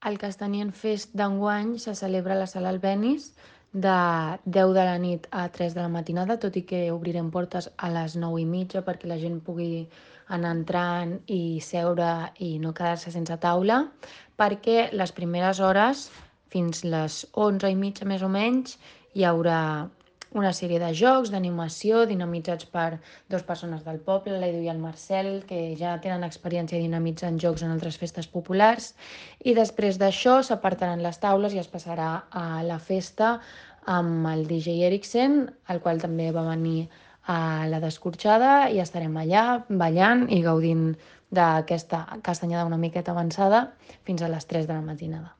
El Castanyer Fest d'enguany se celebra a la Sala Albéniz de 10 de la nit a 3 de la matinada, tot i que obrirem portes a les 9:30 perquè la gent pugui anar entrant i seure i no quedar-se sense taula, perquè les primeres hores, fins les 11:30 més o menys, hi haurà una sèrie de jocs, d'animació, dinamitzats per dues persones del poble, l'Edu i el Marcel, que ja tenen experiència dinamitzant jocs en altres festes populars, i després d'això s'apartaran les taules i es passarà a la festa amb el DJ Eriksen, el qual també va venir a la Descorxada, i estarem allà ballant i gaudint d'aquesta castanyada una miqueta avançada fins a les 3 de la matinada.